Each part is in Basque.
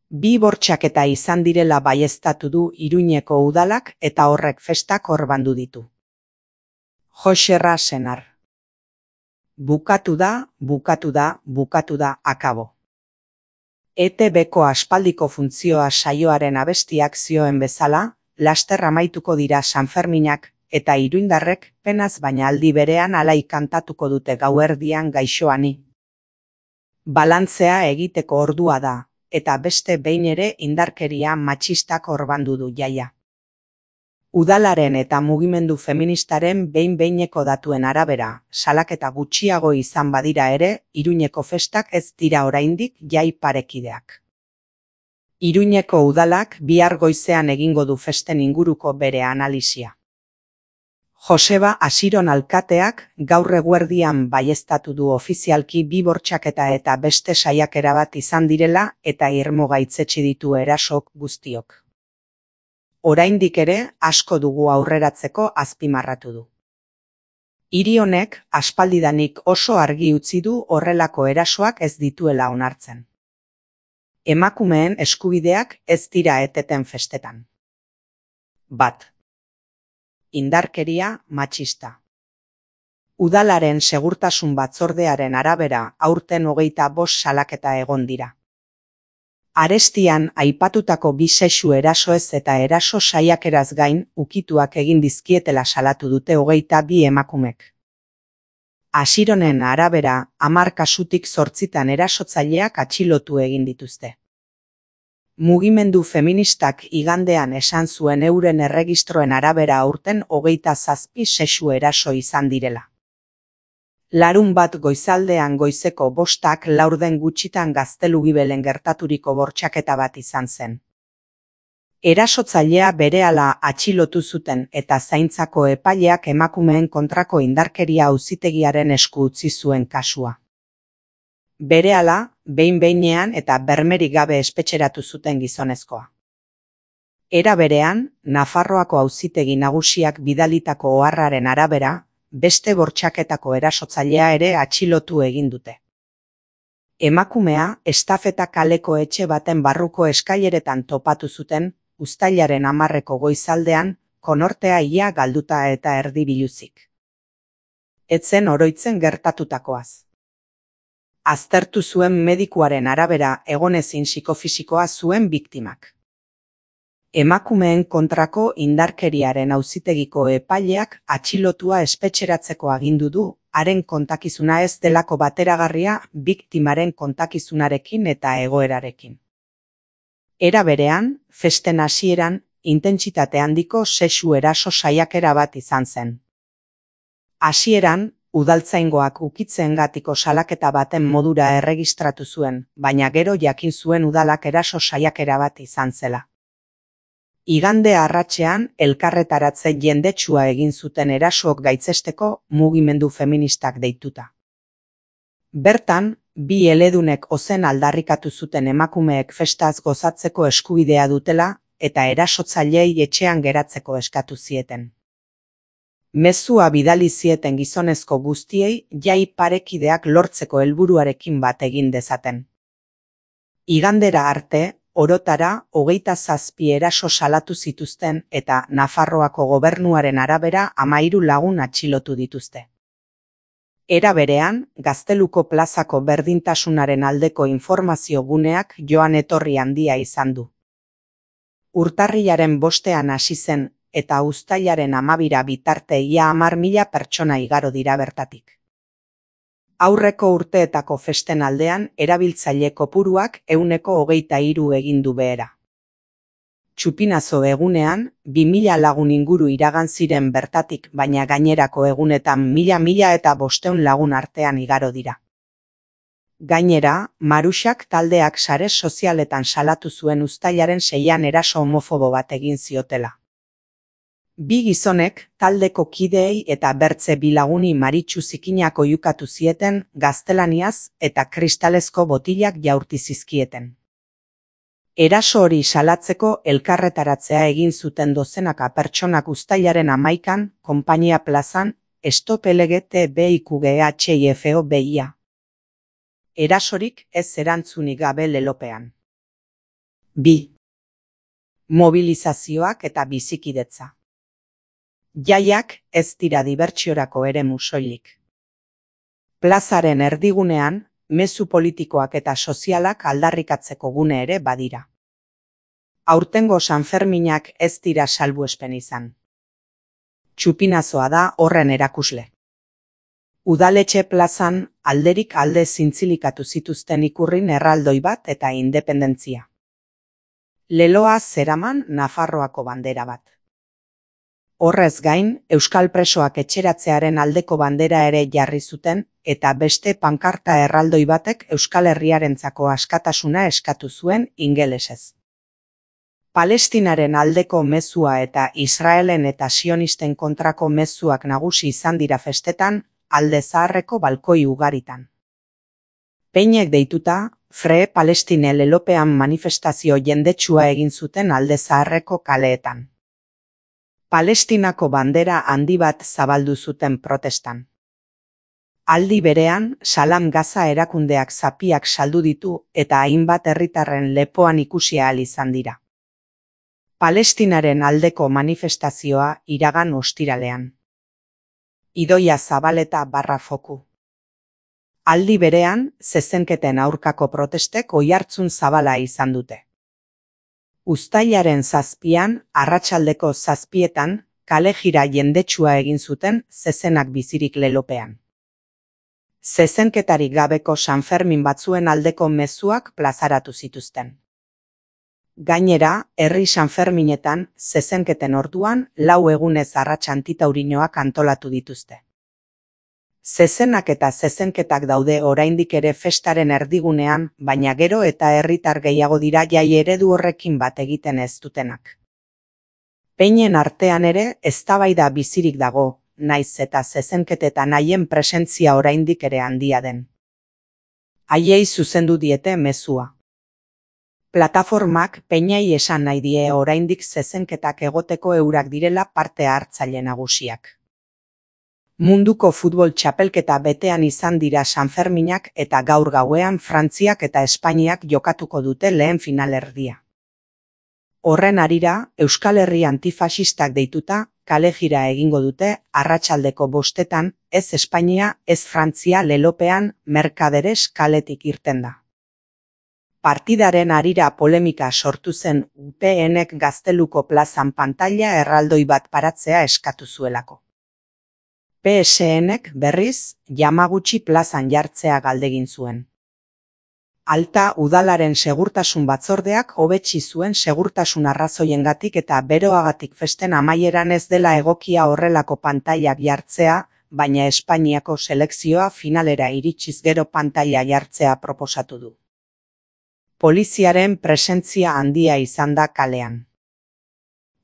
Bi bortxaketa izan direla baieztatu du Iruñeko udalak eta horrek festak orbandu ditu. Joxerra Senar. Bukatu da, akabo. ETB-ko aspaldiko funtzioa saioaren abestiak zioen bezala, laster amaituko dira Sanferminak, eta iruindarrek penaz baina aldi berean alai kantatuko dute gauerdian gaixoani. Balantzea egiteko ordua da, eta beste behin ere indarkeria matxistak orbandu du jaia. Udalaren eta mugimendu feministaren behin-behineko datuen arabera, salaketa gutxiago izan badira ere, Iruñeko festak ez dira oraindik jai parekideak. Iruñeko udalak bihar goizean egingo du festen inguruko bere analisia. Joseba Asiron alkateak gaur eguerdian baieztatu du ofizialki bi bortxaketa eta beste saiakera bat izan direla eta irmo gaitzetsi ditu erasok guztiok. Oraindik ere asko dugu aurreratzeko azpimarratu du. Hiri honek aspaldidanik oso argi utzi du horrelako erasoak ez dituela onartzen. Emakumeen eskubideak ez dira eteten festetan. 1. Indarkeria matxista. Udalaren segurtasun batzordearen arabera aurten 25 salaketa egon dira. Arestian aipatutako bi sexu erasoez eta eraso saiakeraz gain ukituak egin dizkietela salatu dute 22 emakumek. Asironen arabera 10 kasutik 8 erasotzaileak atxilotu egin dituzte. Mugimendu feministak igandean esan zuen euren erregistroen arabera aurten 27 sexu eraso izan direla. Larunbat goizaldean goizeko 5:00 laurden gutxitan Gaztelugibelen gertaturiko bortxaketa bat izan zen. Erasotzailea berehala atxilotu zuten eta zaintzako epaileak emakumeen kontrako indarkeria auzitegiaren esku utzi zuen kasua. Berehala, behin-behinean eta bermerik gabe espetxeratu zuten gizonezkoa. Era berean, Nafarroako auzitegi nagusiak bidalitako oharraren arabera, beste bortxaketako erasotzailea ere atxilotu egin dute. Emakumea estafeta kaleko etxe baten barruko eskaileretan topatu zuten, uztailaren 10 goizaldean, konortea ia galduta eta erdi biluzik. Ez zen oroitzen gertatutakoaz. Aztertu zuen medikuaren arabera egonezin psikofisikoa zuen biktimak. Emakumeen kontrako indarkeriaren auzitegiko epaileak atxilotua espetxeratzeko agindu du, haren kontakizuna ez delako bateragarria biktimaren kontakizunarekin eta egoerarekin. Era berean, festen hasieran, intentsitate handiko sexu eraso saiakera bat izan zen. Hasieran, udaltzaingoak ukitzeengatiko salaketa baten modura erregistratu zuen, baina gero jakin zuen udalak eraso saiakera bat izan zela. Igande arratsean elkarretaratze jendetsua egin zuten erasoak gaitzesteko mugimendu feministak deituta. Bertan, bi eledunek ozen aldarrikatu zuten emakumeek festaz gozatzeko eskubidea dutela eta erasotzaileei etxean geratzeko eskatu zieten. Mezua bidali zieten gizonezko guztiei jai parekideak lortzeko helburuarekin bat egin dezaten. Igandera arte, orotara 27 eraso salatu zituzten eta Nafarroako gobernuaren arabera 13 lagun atxilotu dituzte. Era berean, Gazteluko plazako berdintasunaren aldeko informazio guneak joan etorri handia izan du. Urtarrilaren 5ean hasi zen eta uztailaren 12 bitarte ia 10.000 pertsona igaro dira bertatik. Aurreko urteetako festen aldean erabiltzaile kopuruak 123 egin du behera. Txupinazo egunean, 2000 lagun inguru iragan ziren bertatik, baina gainerako egunetan 1000 eta 500 lagun artean igaro dira. Gainera, Maruxak taldeak sare sozialetan salatu zuen uztailaren 6ean eraso homofobo bat egin ziotela. Bi gizonek taldeko kideei eta bertze bi laguni maritxu zikinak oihukatu zieten gaztelaniaz eta kristalezko botilak jaurti zizkieten. Eraso hori salatzeko elkarretaratzea egin zuten dozenaka pertsonak uztailaren 11an, Konpainia plazan, Stop LGTBIQGHIFOBIA. Erasorik ez erantzunik gabe lelopean. 2. Mobilizazioak eta bizikidetza. Jaiak ez dira dibertsiorako eremu soilik. Plazaren erdigunean, mezu politikoak eta sozialak aldarrikatzeko gune ere badira. Aurtengo Sanferminak ez dira salbuespen izan. Txupinazoa da horren erakusle. Udaletxe plazan alderik alde zintzilikatu zituzten ikurrin erraldoi bat eta independentzia. Leloa zeraman Nafarroako bandera bat. Horrez gain, euskal presoak etxeratzearen aldeko bandera ere jarri zuten eta beste pankarta erraldoi batek Euskal Herriarentzako askatasuna eskatu zuen ingelesez. Palestinaren aldeko mezua eta Israelen eta sionisten kontrako mezuak nagusi izan dira festetan, alde zaharreko balkoi ugaritan. Peinek deituta, Free Palestine lelopean manifestazio jendetsua egin zuten alde zaharreko kaleetan. Palestinako bandera handi bat zabaldu zuten protestan. Aldi berean, Salam Gaza erakundeak zapiak saldu ditu eta hainbat herritarren lepoan ikusi ahal izan dira. Palestinaren aldeko manifestazioa iragan ostiralean. Idoia Zabaleta /foku. Aldi berean, zezenketen aurkako protestek oihartzun zabala izan dute. Uztailaren 7, arratsaldeko 7, kalejira jendetsua egin zuten zezenak bizirik lelopean. Zezenketarik gabeko Sanfermin batzuen aldeko mezuak plazaratu zituzten. Gainera, herri Sanferminetan, zezenketen orduan, 4 egunez arrats antitaurinoak antolatu dituzte. Zezenak eta zezenketak daude oraindik ere festaren erdigunean, baina gero eta herritar gehiago dira jai eredu horrekin bat egiten ez dutenak. Peinen artean ere eztabaida bizirik dago, naiz eta zezenketetan haien presentzia oraindik ere handia den. Haiei zuzendu diete mezua. Plataformak Peinei esan nahi die oraindik zezenketak egoteko eurak direla parte hartzaile nagusiak. Munduko futbol txapelketa betean izan dira Sanferminak eta gaur gauean Frantziak eta Espainiak jokatuko dute lehen finalerdia. Horren harira, Euskal Herri antifasistak deituta, kalejira egingo dute arratsaldeko 5, ez Espainia, ez Frantzia lelopean Merkaderes kaletik irten da. Partidaren harira polemika sortu zen UPNek Gazteluko plazan pantaila erraldoi bat paratzea eskatu zuelako. PSNek berriz, Yamaguchi plazan jartzea galdegin zuen. Alta udalaren segurtasun batzordeak hobetsi zuen segurtasun arrazoiengatik eta beroagatik festen amaieran ez dela egokia horrelako pantailak jartzea, baina Espainiako selekzioa finalera iritsiz gero pantaila jartzea proposatu du. Poliziaren presentzia handia izan da kalean.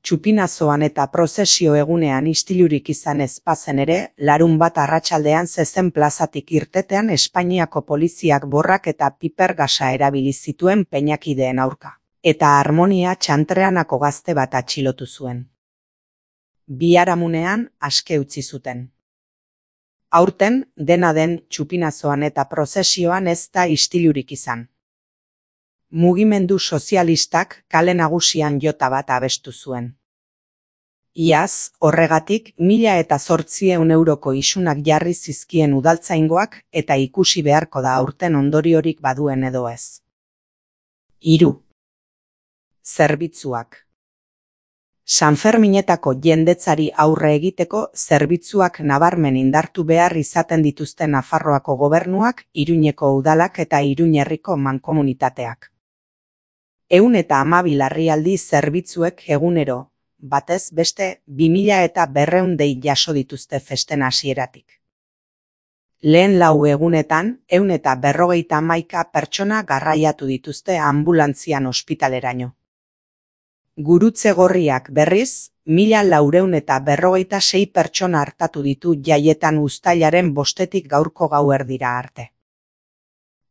Txupinazoan eta prozesio egunean istilurik izan ez bazen ere, larunbat arratsaldean zezen plazatik irtetean Espainiako poliziak borrak eta piper gasa erabili zituen peinakideen aurka, eta Harmonia Txantreanako gazte bat atxilotu zuen. Biharamunean aske utzi zuten. Aurten, dena den txupinazoan eta prozesioan ez da istilurik izan. Mugimendu sozialistak kale nagusian jota bat abestu zuen. Iaz, horregatik, 1.800 euroko isunak jarri zizkien udaltzaingoak eta ikusi beharko da aurten ondoriorik baduen edo ez. 3. Zerbitzuak. Sanferminetako jendetzari aurre egiteko zerbitzuak nabarmen indartu behar izaten dituzten Nafarroako gobernuak, Iruñeko udalak eta Iruñ herriko mankomunitateak. 112 larrialdi zerbitzuek egunero, batez beste 2.200 dei jaso dituzte festen hasieratik. Lehen 4 egunetan, 151 pertsona garraiatu dituzte anbulantzian ospitaleraino. Gurutze Gorriak berriz, 1.456 pertsona hartatu ditu jaietan uztailaren 5 gaurko gauerdira arte.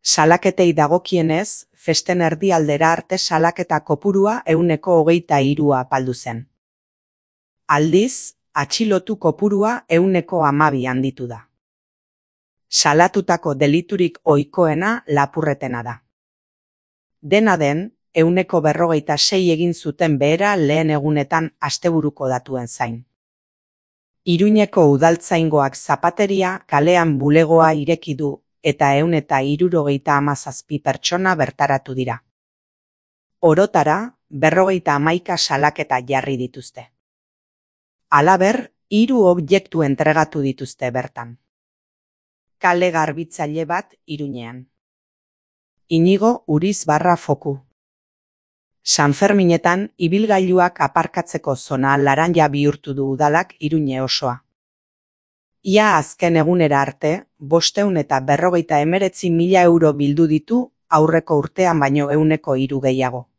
Salaketei dagokienez, festen erdialdera arte salaketa kopurua 123 apaldu zen. Aldiz, atxilotu kopurua 112 handitu da. Salatutako deliturik ohikoena lapurretena da. Dena den, %46 egin zuten behera lehen egunetan asteburuko datuen zain. Iruñeko udaltzaingoak zapateria kalean bulegoa ireki du eta 177 pertsona bertaratu dira. Orotara, 51 salaketa jarri dituzte. Halaber, 3 objektu entregatu dituzte bertan. Kale garbitzaile bat Iruñean. Inigo Uriz Foku. Sanferminetan, ibilgailuak aparkatzeko zona laranja bihurtu du udalak Iruñe osoa. Ia azken egunera arte, 549.000 euro bildu ditu aurreko urtean baino 103 gehiago.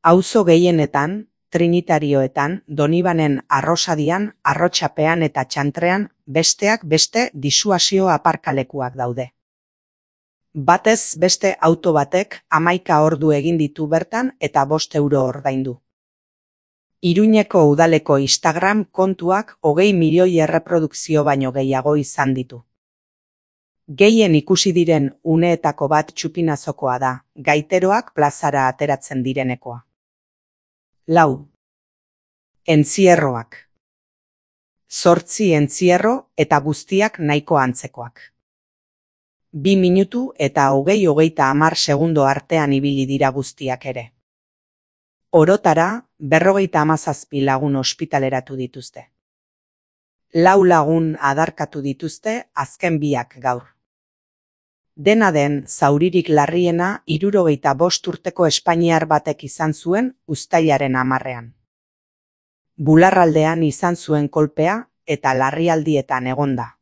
Auzo gehienetan, Trinitarioetan, Donibanen Arrosadian, Arrotxapean eta Txantrean besteak beste disuasio aparkalekuak daude. Batez beste auto batek 11 ordu egin ditu bertan eta 5 euro ordaindu. Iruñeko udaleko Instagram kontuak 20 milioi erreprodukzio baino gehiago izan ditu. Gehien ikusi diren uneetako bat txupinazokoa da, gaiteroak plazara ateratzen direnekoa. 4. Entzierroak. 8 entzierro eta guztiak nahiko antzekoak. 2 minutu eta 20-30 segundo artean ibili dira guztiak ere. Orotara, 57 lagun ospitaleratu dituzte. 4 lagun adarkatu dituzte azken biak gaur. Dena den, zauririk larriena 75 urteko espainiar batek izan zuen uztailaren 10ean. Bularraldean izan zuen kolpea eta larrialdietan egonda.